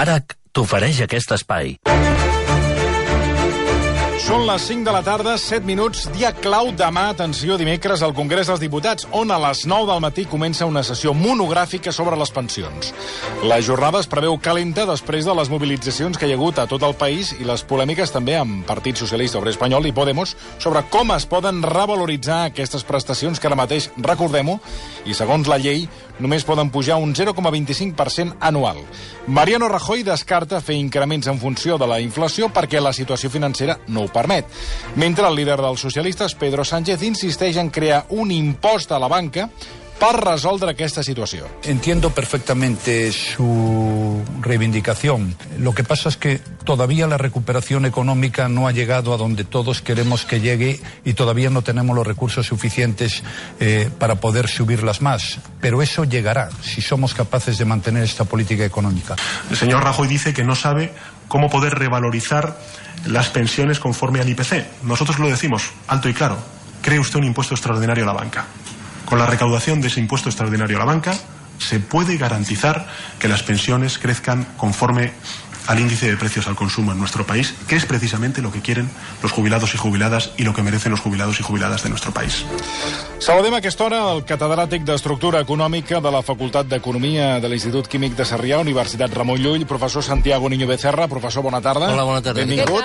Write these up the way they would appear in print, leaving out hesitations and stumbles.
ARAC t'ofereix aquest espai. Són les 5 de la tarda, 7 minuts, dia clau demà, atenció, dimecres, al Congrés dels Diputats, on a les 9 del matí comença una sessió monogràfica sobre les pensions. La jornada es preveu calenta després de les mobilitzacions que hi ha hagut a tot el país i les polèmiques també amb Partit Socialista Obrer Espanyol i Podemos sobre com es poden revaloritzar aquestes prestacions que ara mateix, recordem-ho, i segons la llei, només poden pujar un 0,25% anual. Mariano Rajoy descarta fer increments en funció de la inflació perquè la situació financera no ho permet. Mentre el líder dels socialistes, Pedro Sánchez, insisteix en crear un impost a la banca para resoldre esta situación. Entiendo perfectamente su reivindicación. Lo que pasa es que todavía la recuperación económica no ha llegado a donde todos queremos que llegue y todavía no tenemos los recursos suficientes para poder subirlas más. Pero eso llegará si somos capaces de mantener esta política económica. El señor Rajoy dice que no sabe cómo poder revalorizar las pensiones conforme al IPC. Nosotros lo decimos alto y claro. Cree usted un impuesto extraordinario a la banca. Con la recaudación de ese impuesto extraordinario a la banca se puede garantizar que las pensiones crezcan conforme al índice de precios al consumo en nuestro país, que es precisamente lo que quieren los jubilados y jubiladas y lo que merecen los jubilados y jubiladas de nuestro país. Saludem a aquesta hora el catedràtic d'Estructura Econòmica de la Facultat d'Economia de l'Institut Químic de Sarrià, Universitat Ramon Llull, professor Santiago Niño Becerra. Professor, bona tarda. Hola, bona tarda. Benvingut.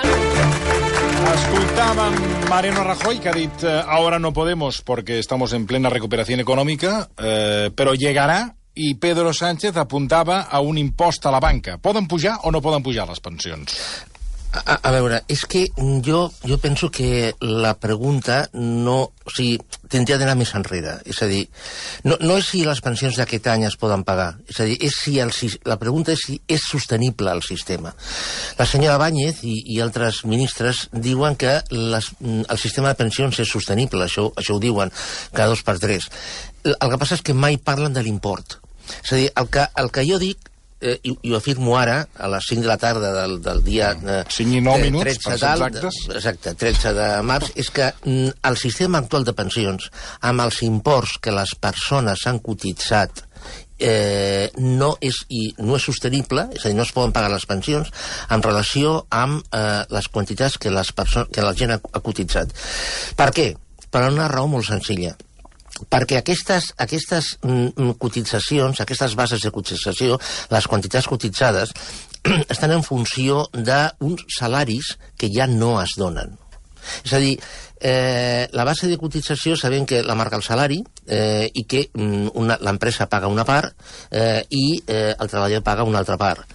Escoltàvem Mariano Rajoy, que ha dit ahora no podemos porque estamos en plena recuperación económica, pero llegará, i Pedro Sánchez apuntava a un impost a la banca. Poden pujar o no poden pujar les pensions? A veure, és que jo penso que la pregunta no... O sigui, tindria d'anar més enrere. És a dir, no és si les pensions d'aquest any es poden pagar. És a dir, la pregunta és si és sostenible el sistema. La senyora Báñez i altres ministres diuen que el sistema de pensions és sostenible. Això ho diuen cada 2 per 3. El que passa és que mai parlen de l'import. És a dir, el que jo dic, i ho afirmo ara, a les 5 de la tarda del dia 5 i 9 minuts, 13 exactes. Exacte, 13 de març, és que el sistema actual de pensions, amb els imports que les persones han cotitzat, no és sostenible, és a dir, no es poden pagar les pensions en relació amb les quantitats que la gent ha cotitzat. Per què? Per una raó molt senzilla. Perquè aquestes cotitzacions, aquestes bases de cotització, les quantitats cotitzades, estan en funció d'uns salaris que ja no es donen. És a dir, la base de cotització sabem que la marca el salari i que l'empresa paga una part i el treballador paga una altra part.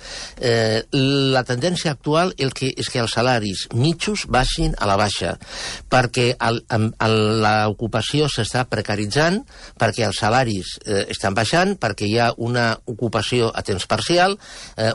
La tendència actual és que els salaris mitjos baixin a la baixa, perquè l'ocupació s'està precaritzant, perquè els salaris estan baixant, perquè hi ha una ocupació a temps parcial,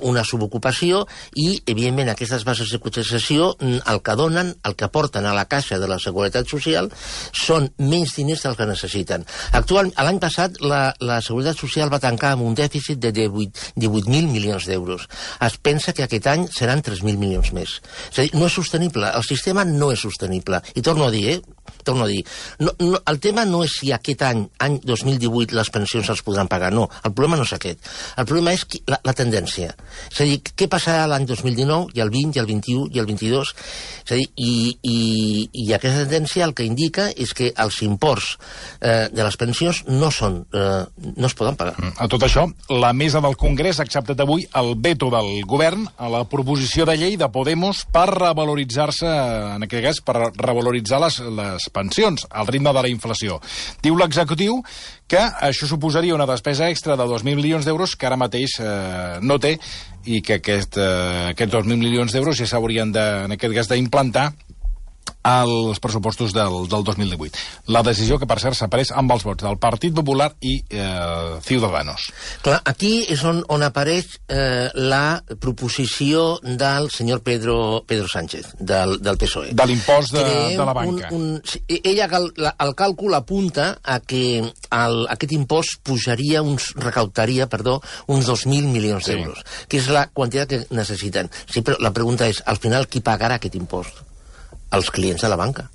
una subocupació, i, evidentment, aquestes bases de cotització el que donen, el que aporten a la caixa de la Seguretat Social són menys diners dels que necessiten. L'any passat la Seguretat Social va tancar amb un dèficit de 18.000 milions d'euros. Es pensa que aquest any seran 3.000 milions més. És a dir, no és sostenible. El sistema no és sostenible. I torno a dir, el tema no és si aquest any 2018, les pensions els podran pagar. No, el problema no és aquest. El problema és la tendència. És a dir, què passarà l'any 2019, i el 20, i el 21, i el 22? És a dir, i aquesta tendència el que indica és que els imports de les pensions no es poden pagar. A tot això, la mesa del Congrés ha acceptat avui el veto del govern a la proposició de llei de Podemos per revaloritzar-se, en aquest cas, per revaloritzar les pensions al ritme de la inflació. Diu l'executiu que això suposaria una despesa extra de 2.000 milions d'euros que ara mateix no té, i que aquests 2.000 milions d'euros ja s'haurien en aquest cas d'implantar als pressupostos del 2018. La decisió que, per cert, s'ha pres amb els vots del Partit Popular i Ciudadanos. Clar, aquí és on apareix la proposició del senyor Pedro Sánchez, del PSOE. De l'impost de la banca. El càlcul apunta a que aquest impost recaptaria uns 2.000 milions d'euros, que és la quantitat que necessiten. Sí, però la pregunta és, al final, qui pagarà aquest impost? Els clients de la banca.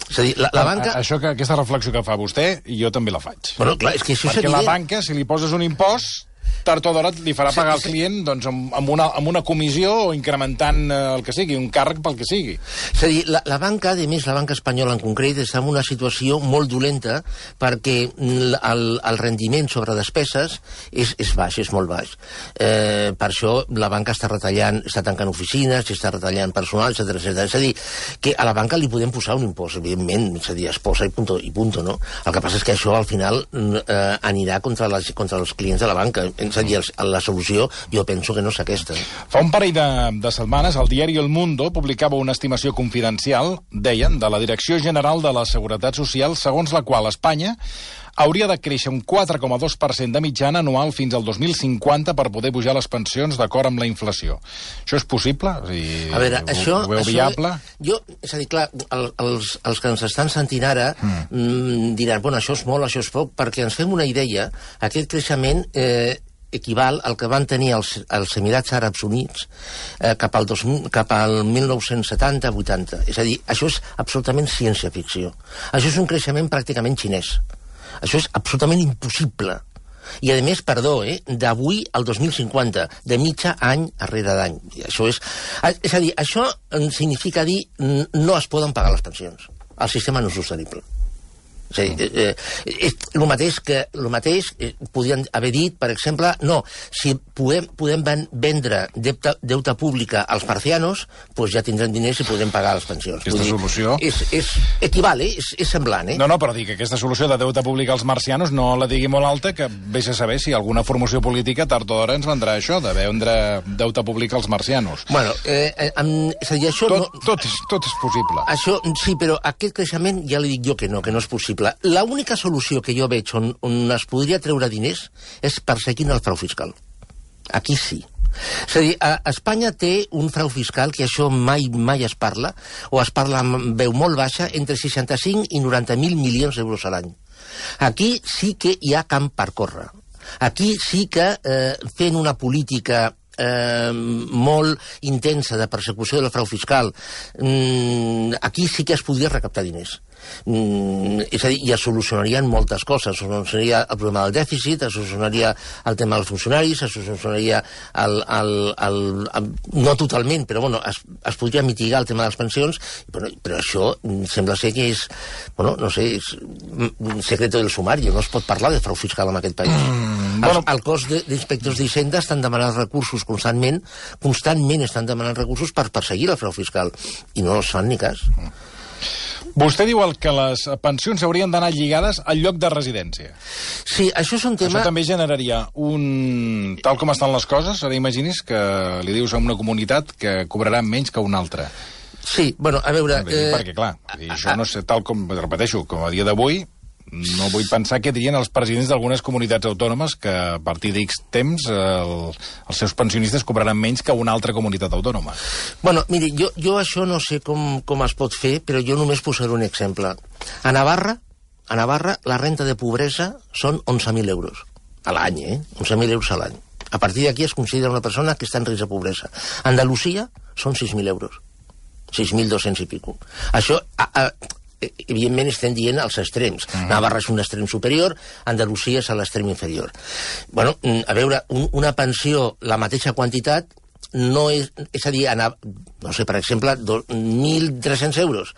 És a dir, la banca... Aquesta reflexió que fa vostè, jo també la faig. Bueno, clar, és que això perquè la banca, si li poses un impost, tard o d'hora li farà pagar al client doncs, amb una comissió o incrementant el que sigui, un càrrec pel que sigui. És a dir, la banca, a més, la banca espanyola en concret, està en una situació molt dolenta perquè el rendiment sobre despeses és baix, és molt baix. Per això la banca està retallant, està tancant oficines, està retallant personal, etc. És a dir, que a la banca li podem posar un impost, evidentment, és a dir, es posa i punto, no? El que passa és que això al final anirà contra els clients de la banca. És a dir, la solució jo penso que no és aquesta. Fa un parell de setmanes el diari El Mundo publicava una estimació confidencial, deien, de la Direcció General de la Seguretat Social, segons la qual Espanya hauria de créixer un 4,2% de mitjana anual fins al 2050 per poder pujar les pensions d'acord amb la inflació. Això és possible? A veure, això... Ho veu viable? És a dir, clar, els que ens estan sentint ara diran, bueno, això és molt, això és poc, perquè ens fem una idea, aquest creixement equival al que van tenir els Emirats Àrabs Units cap al 1970-80. És a dir, això és absolutament ciència-ficció. Això és un creixement pràcticament xinès. Això és absolutament impossible. I, a més, d'avui al 2050, de mitja any darrere d'any. És a dir, això significa dir no es poden pagar les pensions. El sistema no és sostenible. És a dir, el mateix podien haver dit, per exemple, no, si podem vendre deute pública als marcianos, doncs ja tindrem diners i podem pagar les pensions. Aquesta solució... És equival, és semblant, No, però dic que aquesta solució de deute públic als marcianos no la digui molt alta, que vés a saber si alguna formació política tard o d'hora ens vendrà això, de vendre deute públic als marcianos. Bueno, és a dir, això... Tot és possible. Això, sí, però aquest creixement ja li dic jo que no és possible. L'única solució que jo veig on es podria treure diners és perseguint el frau fiscal. Aquí sí. És a dir, Espanya té un frau fiscal que això mai es parla, o es parla amb veu molt baixa, entre 65 i 90.000 milions d'euros a l'any. Aquí sí que hi ha camp per córrer. Aquí sí que fent una política molt intensa de persecució del frau fiscal, aquí sí que es podria recaptar diners. És a dir, i es solucionarien moltes coses. Es solucionaria el problema del dèficit, es solucionaria el tema dels funcionaris, es solucionaria no totalment, però bueno, es podria mitigar el tema de les pensions, però això sembla ser que és, no sé, és un secreto del sumari, no es pot parlar de frau fiscal en aquest país. El cos d'inspectors d'Hisenda estan demanant recursos constantment estan demanant recursos per perseguir el frau fiscal, i no els fan ni cas. Vostè diu que les pensions haurien d'anar lligades al lloc de residència. Sí, això és un tema... Això també generaria tal com estan les coses, ara imagini's que li dius a una comunitat que cobrarà menys que una altra. Sí, bueno, a veure... Perquè, clar, això no sé, tal com, repeteixo, com a dia d'avui, no vull pensar què dirien els presidents d'algunes comunitats autònomes que a partir d'X temps els seus pensionistes cobraran menys que una altra comunitat autònoma. Bueno, miri, jo això no sé com es pot fer, però jo només posaré un exemple. A Navarra, la renta de pobresa són 11.000 euros a l'any, 11.000 euros a l'any. A partir d'aquí es considera una persona que està en risc de pobresa. A Andalusia són 6.000 euros. 6.200 i pico. Això... evidentment estem dient els extrems. Navarra és un extrem superior, Andalusia és a l'extrem inferior. Bueno, a veure, una pensió, la mateixa quantitat, no és a dir, no sé, per exemple, 1.300 euros.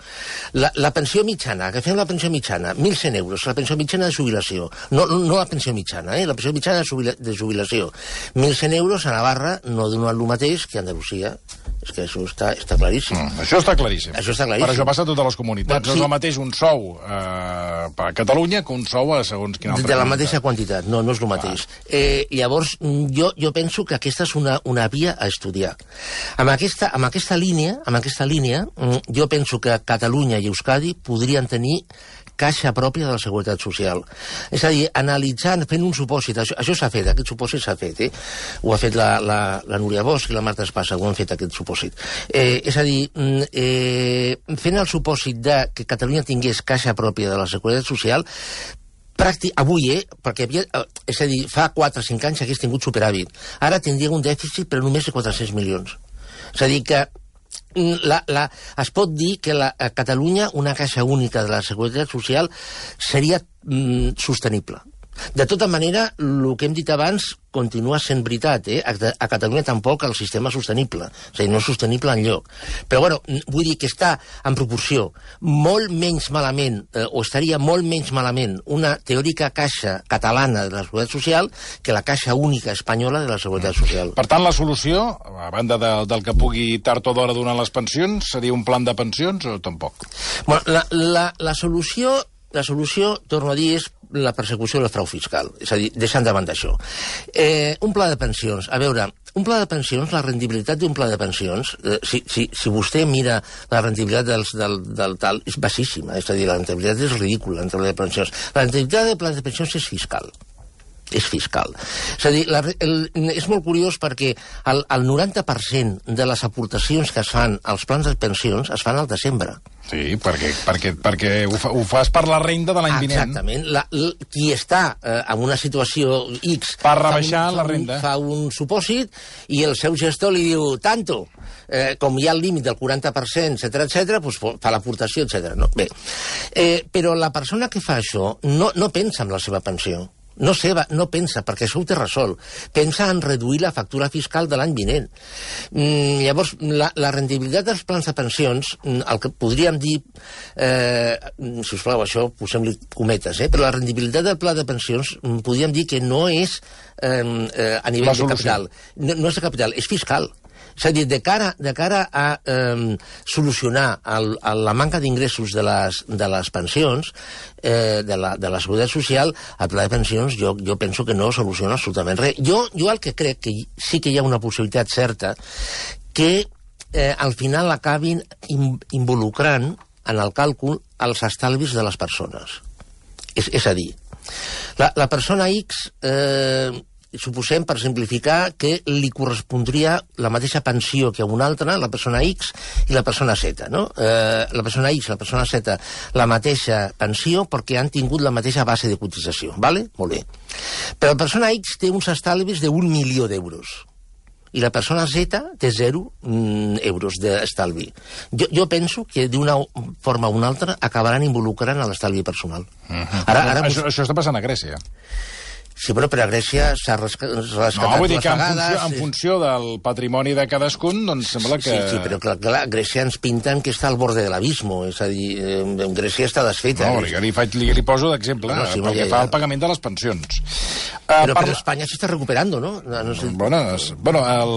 La pensió mitjana, agafem la pensió mitjana, 1.100 euros, la pensió mitjana de jubilació. No la pensió mitjana, la pensió mitjana de jubilació. 1.100 euros a Navarra no donen el mateix que a Andalusia. És que això està claríssim. Això està claríssim. Això està claríssim. Per això passa a totes les comunitats. No és el mateix un sou a Catalunya que un sou a segons quina altra de la mateixa quantitat, no és el mateix. Llavors, jo penso que aquesta és una via a estudiar. Amb aquesta línia, jo penso que Catalunya i Euskadi podrien tenir caixa pròpia de la Seguretat Social. És a dir, analitzant, fent un supòsit, això s'ha fet, aquest supòsit s'ha fet, ho ha fet la Núria Bosch i la Marta Espasa, ho han fet aquest supòsit. És a dir, fent el supòsit de que Catalunya tingués caixa pròpia de la Seguretat Social, avui, perquè és a dir, fa 4 o 5 anys hagués tingut superàvit. Ara tindria un dèficit, però només de 400 milions. És a dir, que es pot dir que a Catalunya una caixa única de la Seguretat Social seria sostenible. De tota manera, el que hem dit abans continua sent veritat. A Catalunya tampoc el sistema és sostenible. És a dir, no és sostenible enlloc. Però, bueno, vull dir que està en proporció molt menys malament, o estaria molt menys malament, una teòrica caixa catalana de la Seguretat Social que la caixa única espanyola de la Seguretat Social. Per tant, la solució, a banda del que pugui tard o d'hora donar les pensions, seria un plan de pensions o tampoc? Bueno, la solució, torno a dir, és la persecució del frau fiscal. És a dir, deixant de banda això. Un pla de pensions. A veure, un pla de pensions, la rendibilitat d'un pla de pensions, si vostè mira la rendibilitat del tal, és baixíssima. És a dir, la rendibilitat és ridícula en pla de pensions. La rendibilitat del pla de pensions és fiscal. És fiscal. És a dir, és molt curiós perquè el 90% de les aportacions que es fan als plans de pensions es fan al desembre. Sí, perquè ho fas per la renda de l'any vinent. Exactament. Qui està en una situació X... Per rebaixar la renda. Fa un supòsit i el seu gestor li diu tanto. Com hi ha el límit del 40%, etc., doncs fa l'aportació, etc. No? Bé, però la persona que fa això no pensa en la seva pensió. No pensa, perquè això ho té resolt. Pensa en reduir la factura fiscal de l'any vinent. Llavors, la rendibilitat dels plans de pensions, el que podríem dir, sisplau, això posem-li cometes, però la rendibilitat del pla de pensions podríem dir que no és a nivell de capital. No és de capital, és fiscal. És a dir, de cara a solucionar la manca d'ingressos de les pensions, de la Seguretat Social, el pla de pensions jo penso que no soluciona absolutament res. Jo el que crec que sí que hi ha una possibilitat certa que al final acabin involucrant en el càlcul els estalvis de les persones. És a dir, la persona X... suposem, per simplificar, que li correspondria la mateixa pensió que a una altra, la persona X i la persona Z, no? La persona X i la persona Z, la mateixa pensió perquè han tingut la mateixa base de cotització, ¿vale? Molt bé. Però la persona X té uns estalvis de 1 milió d'euros i la persona Z té 0 euros d'estalvi. Jo penso que d'una forma o una altra acabaran involucrant a l'estalvi personal. Això està passant a Grècia. Sí, però per a Grècia s'ha rescatat vull dir que vegades... en funció del patrimoni de cadascun, doncs sembla que... Sí, però clar, Grècia ens pinten que està al borde de l'abismo, és a dir, Grècia està desfeta. No, li poso d'exemple, perquè fa el pagament de les pensions. Però per Espanya s'està recuperant, no? Bueno, el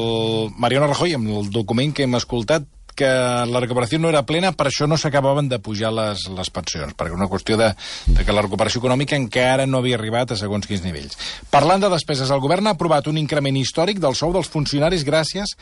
Mariano Rajoy, amb el document que hem escoltat, que la recuperació no era plena, per això no s'acabaven de pujar les pensions, perquè una qüestió de que la recuperació econòmica encara no havia arribat a segons quins nivells. Parlant de despeses, el govern ha aprovat un increment històric del sou dels funcionaris gràcies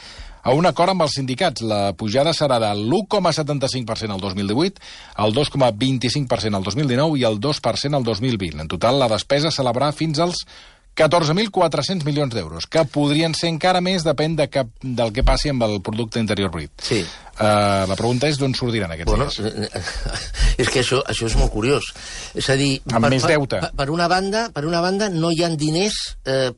a un acord amb els sindicats. La pujada serà de l'1,75% al 2018, el 2,25% al 2019 i el 2% al 2020. En total, la despesa s'elevarà fins als 14.400 milions d'euros, que podrien ser encara més, depèn del que passi amb el producte interior brut. Sí. La pregunta és d'on sortiran aquests diners. És que això és molt curiós. És a dir, amb més deute. Per una banda no hi ha diners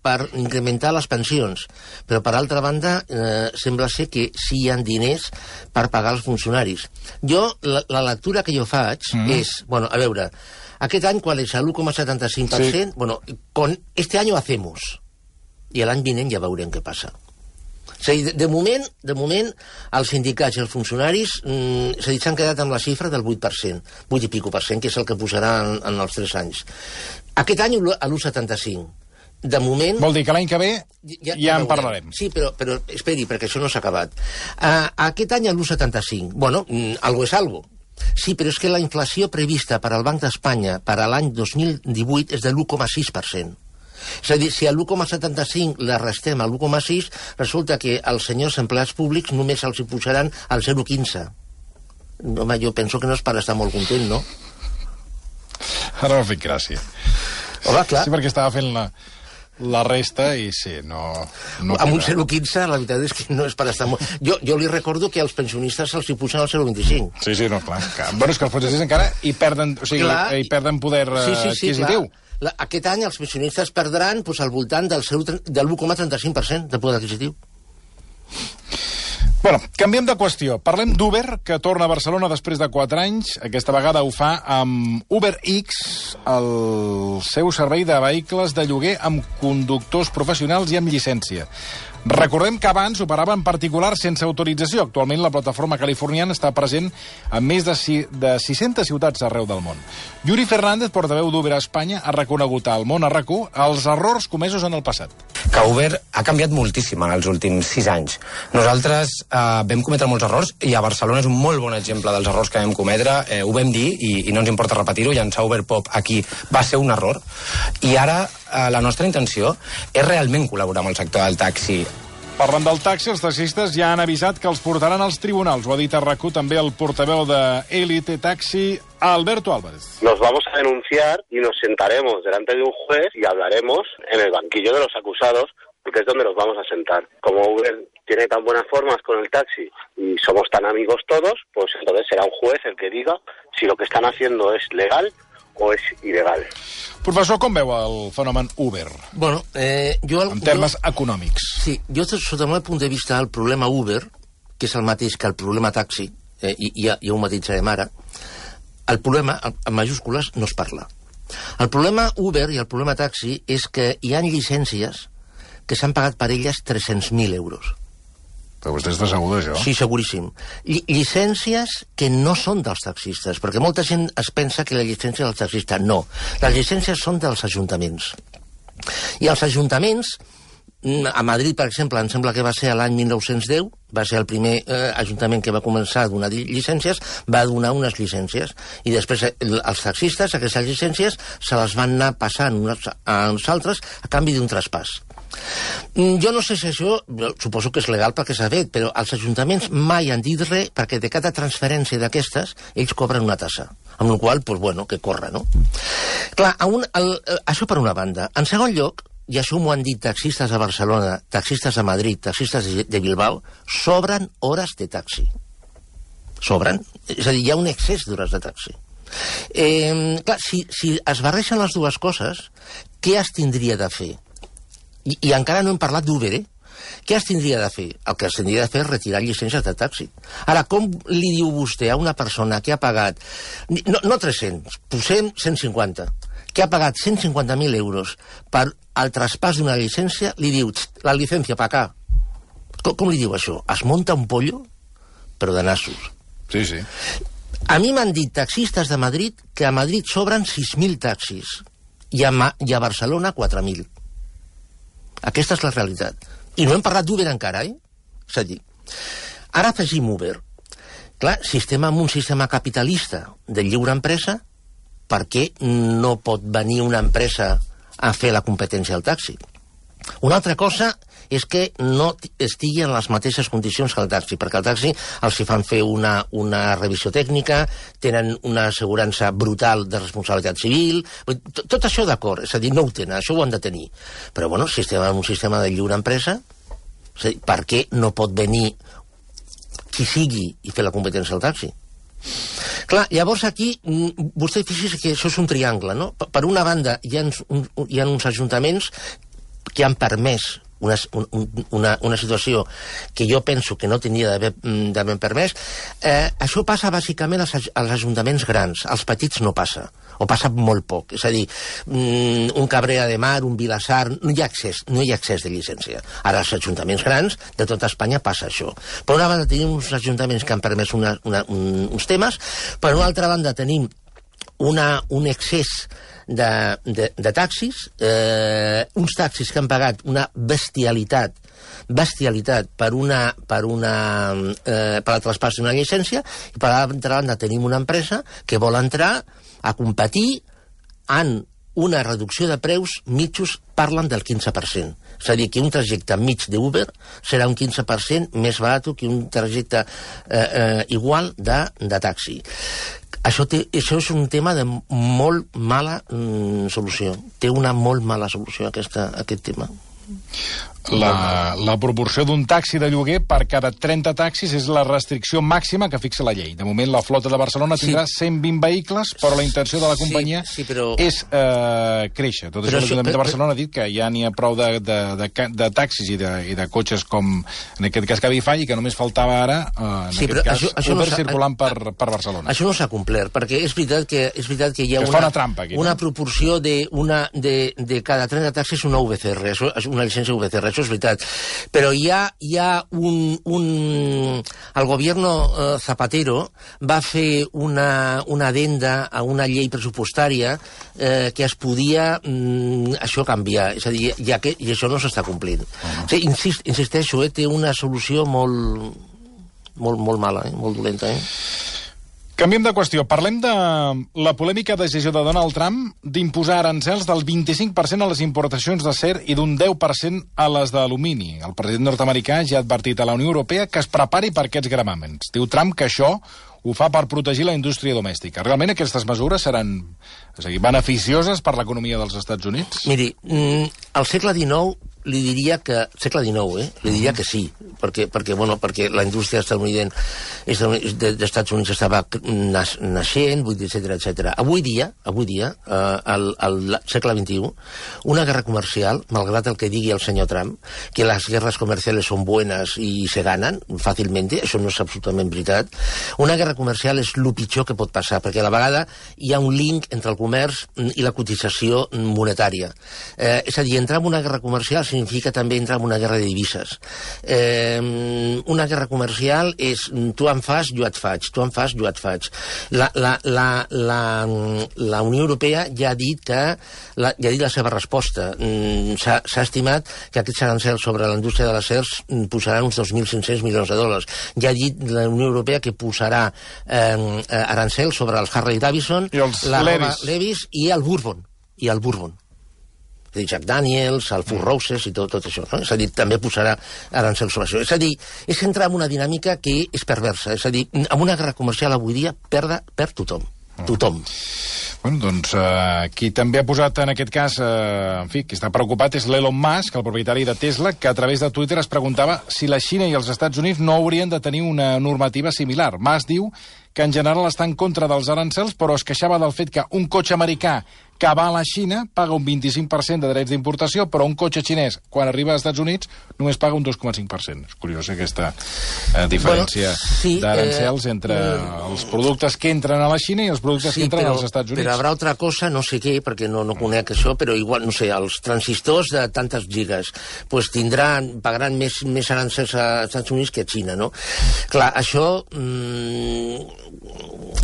per incrementar les pensions, però per altra banda sembla ser que sí hi ha diners per pagar els funcionaris. La lectura que jo faig és, a veure, aquest any, ¿cuál es? El 1,75%. Sí. Bueno, con este año hacemos. I l'any vinent ja veurem què passa. És a dir, de moment, els sindicats i els funcionaris s'han quedat amb la xifra del 8%, 8 i pico %, que és el que posaran en els 3 anys. Aquest any l'1,75%. De moment... Vol dir que l'any que ve ja en parlarem. Sí, però esperi, perquè això no s'ha acabat. Aquest any l'1,75%. Bueno, algo és algo. Sí, però és que la inflació prevista per al Banc d'Espanya per a l'any 2018 és de l'1,6%. És a dir, si a l'1,75 la restem a l'1,6, resulta que als senyors empleats públics només els hi pujaran al 0,15. Home, jo penso que no és per estar molt content, no? Ara m'ha fet gràcia. Home, clar. Sí, perquè estava fent la resta i sí, no amb un 0,15 la veritat és que no és per estar molt... Jo li recordo que als pensionistes se'ls hi pugen al 0,25. Sí, no, clar. Bueno, és que els pensionistes encara hi perden, perden poder adquisitiu. Aquest any els pensionistes perdran al voltant del 1,35% de poder adquisitiu. Bueno, canviem de qüestió. Parlem d'Uber, que torna a Barcelona després de 4 anys. Aquesta vegada ho fa amb UberX, el seu servei de vehicles de lloguer amb conductors professionals i amb llicència. Recordem que abans operava en particular sense autorització. Actualment la plataforma californiana està present en més de 600 ciutats arreu del món. Yuri Fernández, portaveu d'Uber a Espanya, ha reconegut al Món a RAC1 els errors comesos en el passat. Que Uber ha canviat moltíssim en els últims 6 anys. Nosaltres vam cometre molts errors i a Barcelona és un molt bon exemple dels errors que vam cometre. Ho vam dir i no ens importa repetir-ho. Llançar Uberpop aquí va ser un error. I ara la nostra intenció és realment col·laborar amb el sector del taxi. Parlant del taxi, els taxistes ja han avisat que els portaran als tribunals. Ho ha dit a RAC1 també el portaveu de Elite Taxi, Alberto Álvarez. Nos vamos a denunciar y nos sentaremos delante de un juez y hablaremos en el banquillo de los acusados, porque es donde nos vamos a sentar. Como Uber tiene tan buenas formas con el taxi y somos tan amigos todos, pues entonces será un juez el que diga si lo que están haciendo es legal o és il·legal. Professor, com veu el fenomen Uber? Bueno, en termes econòmics. Sí, jo, sota el meu punt de vista, el problema Uber, que és el mateix que el problema taxi, i ja ho matitzarem ara, el problema, en majúscules, no es parla. El problema Uber i el problema taxi és que hi ha llicències que s'han pagat per elles 300.000 euros. Però vostè està segur d'això? Sí, seguríssim. Llicències que no són dels taxistes, perquè molta gent es pensa que la llicència és del taxista. No, les llicències són dels ajuntaments. I els ajuntaments, a Madrid, per exemple, em sembla que va ser l'any 1910, va ser el primer ajuntament que va començar a donar llicències, va donar unes llicències. I després els taxistes, aquestes llicències, se les van anar passant a uns altres a canvi d'un traspàs. Jo no sé si això, suposo que és legal perquè s'ha fet, però els ajuntaments mai han dit res perquè de cada transferència d'aquestes ells cobren una tassa, amb la qual cosa, bueno, que corre, no? Clar, això per una banda. En segon lloc, i això m'ho han dit taxistes a Barcelona, taxistes a Madrid, taxistes de Bilbao, sobren hores de taxi. Sobren. És a dir, hi ha un excés d'hores de taxi. Clar, si es barreixen les dues coses, què es tindria de fer? I encara no hem parlat d'Uber, Què es tindria de fer? El que es tindria de fer és retirar llicències de taxi. Ara, com li diu vostè a una persona que ha pagat, no 300, posem 150, que ha pagat 150.000 euros per al traspàs d'una llicència, li diu, la llicència pa acá. Com li diu això? Es munta un pollo, però de nassos. Sí, sí. A mi m'han dit taxistes de Madrid que a Madrid sobren 6.000 taxis i a Barcelona 4.000. Aquesta és la realitat. I no hem parlat d'Uber encara, És a dir, ara afegim Uber. Clar, si estem en un sistema capitalista de lliure empresa, per què no pot venir una empresa a fer la competència al taxi? Una altra cosa és que no estigui en les mateixes condicions que el taxi, perquè el taxi els hi fan fer una revisió tècnica, tenen una assegurança brutal de responsabilitat civil, tot això d'acord, és a dir, no ho tenen, això ho han de tenir. Però, bueno, si estem en un sistema de lliure empresa, és a dir, per què no pot venir qui sigui i fer la competència al taxi? Clar, llavors aquí, vostè fixi's que això és un triangle, no? Per una banda, hi ha uns ajuntaments que han permès una situació que jo penso que no tindria d'haver permès. Això passa bàsicament als ajuntaments grans, als petits no passa, o passa molt poc. És a dir, un Cabrera de Mar, un Vilassar, no hi ha accés de llicència. Ara, als ajuntaments grans de tota Espanya passa això. Per una banda tenim uns ajuntaments que han permès uns temes, per una altra banda tenim un excés de taxis, uns taxis que han pagat una bestialitat per al traspàs d'una llicència, i per l'altra banda tenim una empresa que vol entrar a competir en una reducció de preus mitjos, parlen del 15%. És a dir, que un trajecte mig d'Uber serà un 15% més barat que un trajecte igual de taxi. Això és un tema de molt mala solució. Té una molt mala solució, aquest tema. La proporció d'un taxi de lloguer per cada 30 taxis és la restricció màxima que fixa la llei. De moment, la flota de Barcelona tindrà 120 vehicles, però la intenció de la companyia és créixer. Tot això, l'Ajuntament de Barcelona ha dit que ja n'hi ha prou de taxis i de cotxes com, en aquest cas, Cabify, i que només faltava ara, en aquest cas, Uber circulant per Barcelona. Això no s'ha complert, perquè és veritat que hi ha una proporció de cada 30 taxis una VCR, una llicència VCR, això és veritat. Però hi ha el gobierno Zapatero va fer una adenda a una llei pressupostària que es podia això canviar. És a dir, i això no s'està complint. Insisteixo, té una solució molt mala, molt dolenta, Canviem de qüestió. Parlem de la polèmica decisió de Donald Trump d'imposar arancels del 25% a les importacions d'acer i d'un 10% a les d'alumini. El president nord-americà ja ha advertit a la Unió Europea que es prepari per aquests gravàmens. Diu Trump que això ho fa per protegir la indústria domèstica. Realment aquestes mesures seran beneficioses per l'economia dels Estats Units? Miri, al segle XIX li diria que... Segle XIX, li diria que sí, perquè la indústria dels Estats Units estava naixent, etc. Avui dia, al segle XXI, una guerra comercial, malgrat el que digui el senyor Trump, que les guerres comerciales són buenas i se ganen fàcilment, això no és absolutament veritat, una guerra comercial és el pitjor que pot passar, perquè a la vegada hi ha un link entre el comerç i la cotització monetària. És a dir, entrar en una guerra comercial significa també entrar en una guerra de divises. Una guerra comercial és tu em fas, jo et faig, tu em fas, jo et faig. La Unió Europea ja ha dit la seva resposta. S'ha estimat que aquests arancels sobre la indústria de l'acer posaran uns 2.500 milions de dòlars. Ja ha dit la Unió Europea que posarà arancels sobre els Harley Davidson, la Levis i el Bourbon. Jack Daniels, el Four Roses i tot això. És a dir, també posarà arancels sobre això. És a dir, és entrar en una dinàmica que és perversa. És a dir, en una guerra comercial avui dia perd tothom. Tothom. Bueno, doncs, qui també ha posat en aquest cas, en fi, qui està preocupat és l'Elon Musk, el propietari de Tesla, que a través de Twitter es preguntava si la Xina i els Estats Units no haurien de tenir una normativa similar. Musk diu que en general està en contra dels arancels, però es queixava del fet que un cotxe americà que va a la Xina paga un 25% de drets d'importació, però un cotxe xinès, quan arriba als Estats Units, només paga un 2,5%. És curiós aquesta diferència d'arancels entre els productes que entren a la Xina i els productes que entren als Estats Units. Però haurà altra cosa, no sé què, perquè no conec això, però igual, no sé, els transistors de tantes gigas pagaran més arancels als Estats Units que a Xina, no? Clar, això...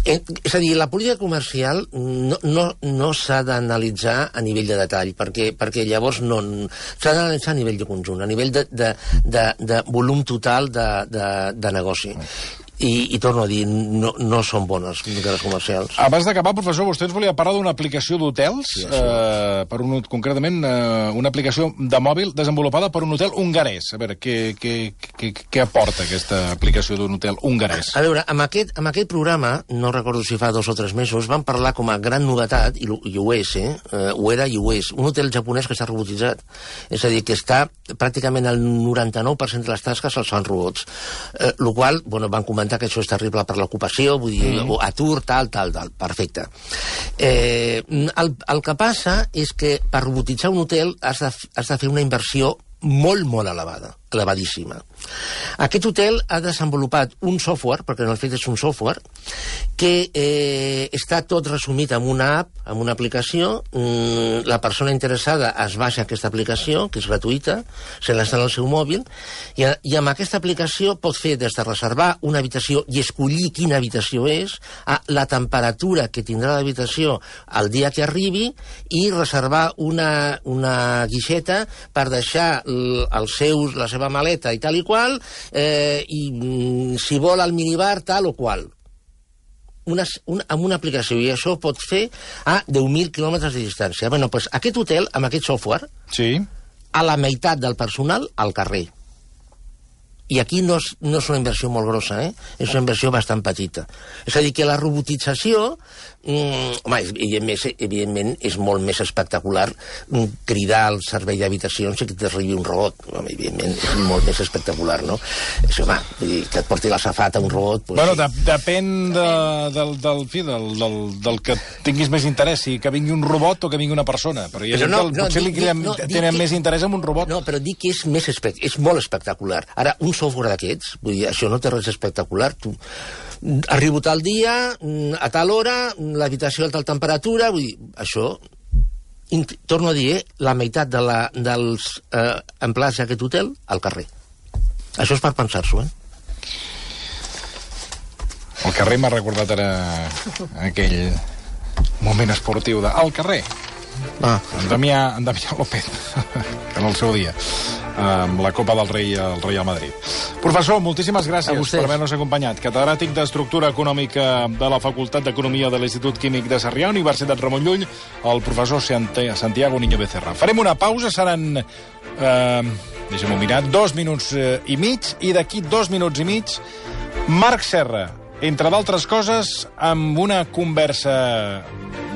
és a dir, la política comercial no s'ha d'analitzar a nivell de detall, perquè llavors s'ha d'analitzar a nivell de conjunt, a nivell de volum total de negoci. I torno a dir, no són bones les comercials. Abans d'acabar, professor, vostè ens volia parlar d'una aplicació d'hotels, concretament una aplicació de mòbil desenvolupada per un hotel hongarès. A veure, què aporta aquesta aplicació d'un hotel hongarès? A veure, amb aquest programa, no recordo si fa 2 o 3 mesos, van parlar com a gran novetat, i ho és, ho era i ho és, un hotel japonès que està robotitzat. És a dir, que està pràcticament el 99% de les tasques els fan robots. El qual, van comentar que això és terrible per l'ocupació, vull dir, atur, tal, perfecte. El que passa és que per robotitzar un hotel has de fer una inversió molt elevada, elevadíssima. Aquest hotel ha desenvolupat un software, perquè en el fet és un software, que està tot resumit en una app, en una aplicació. La persona interessada es baixa aquesta aplicació, que és gratuïta, se l'instal·la al seu mòbil, i amb aquesta aplicació pot fer des de reservar una habitació i escollir quina habitació és, a la temperatura que tindrà l'habitació el dia que arribi, i reservar una guixeta per deixar la seva maleta i tal i qual, i si vol al minibar tal o qual. Amb una aplicació, i això pot fer a 10.000 quilòmetres de distància. Bé, doncs aquest hotel, amb aquest software, a la meitat del personal al carrer. I aquí no és una inversió molt grossa, és una inversió bastant petita. És a dir, que la robotització, evidentment, és molt més espectacular cridar al servei d'habitacions i que t'arribi un robot. Evidentment, és molt més espectacular, no? És, home, que et porti la safata un robot... Bueno, depèn del que tinguis més interès, si que vingui un robot o que vingui una persona. Però hi ha gent que potser li tenen més interès en un robot. No, però dic que és molt espectacular. Ara, un software d'aquests, vull dir, això no té res espectacular. Tu arribo tal dia, a tal hora, l'habitació a tal temperatura, vull dir, això... Torno a dir, la meitat dels empleats d'aquest hotel al carrer. Això és per pensar-s'ho, El carrer m'ha recordat ara aquell moment esportiu de... Al carrer. En Damià López, en el seu dia, amb la Copa del Rei al Real Madrid. Professor, moltíssimes gràcies per haver-nos acompanyat. Catedràtic d'Estructura Econòmica de la Facultat d'Economia de l'Institut Químic de Sarrià, Universitat Ramon Llull, el professor Santiago Niño Becerra. Farem una pausa, seran, deixem-ho mirar, 2 minuts i mig, i d'aquí 2 minuts i mig, Marc Serra, entre d'altres coses, amb una conversa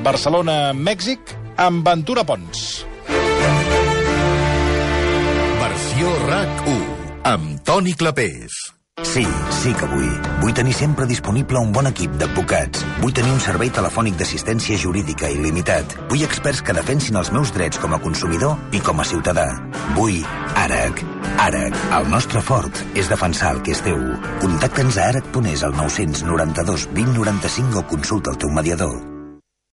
Barcelona-Mèxic amb Ventura Pons. Versió RAC1 amb Toni Clapés. Sí que vull. Vull tenir sempre disponible un bon equip d'advocats. Vull tenir un servei telefònic d'assistència jurídica il·limitat. Vull experts que defensin els meus drets com a consumidor i com a ciutadà. Vull ARAC. ARAC, el nostre fort és defensar el que és teu. Contacta'ns a arac.es al 992 20 95 o consulta el teu mediador.